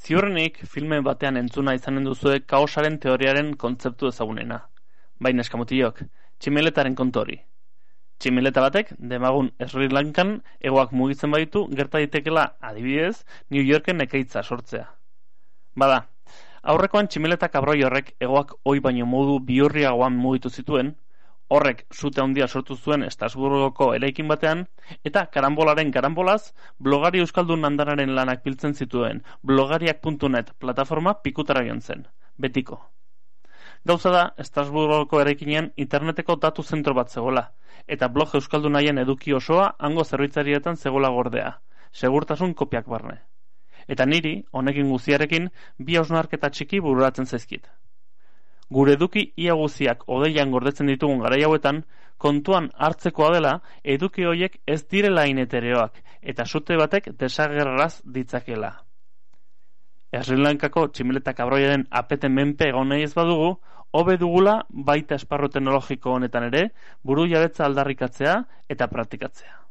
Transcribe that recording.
Ziurrenik filme batean entzuna izanen duzue kaosaren teoriaren kontzeptu ezagunena. Baina eskamutilok, tximeletaren kontu hori. Tximeleta batek, demagun Sri Lankan hegoak mugitzen baditu, gerta daitekela adibidez, New Yorken ekaitza sortzea. Bada, aurrekoan tximeleta kabroi horrek hegoak ohi baino modu bihurriagoan mugitu zituen, horrek sute handia sortu zuen Estrasburgoko eraikin batean, eta karambolaren karambolaz, blogari euskaldun andanaren lanak biltzen zituen blogariak.net plataforma pikutara joan zen, betiko. Gauza da, Estrasburgoko eraikinean interneteko datu zentro bat zegoela, eta blog euskaldunaien eduki osoa hango zerbitzarietan zegoela gordea, segurtasun kopiak barne. Eta niri, honekin guztiarekin, bi hausnarketa txiki bururatzen zaizkit. Gure eduki ia guztiak odeian gordetzen ditugun garai hauetan, kontuan hartzekoa dela eduki horiek ez direla inetereoak, eta sute batek desagerraz ditzakela. Sri Lankako tximeleta kabroiaren apeten menpe egon nahi ez badugu, hobe dugula baita esparru teknologiko honetan ere, buru jabetza aldarrikatzea eta praktikatzea.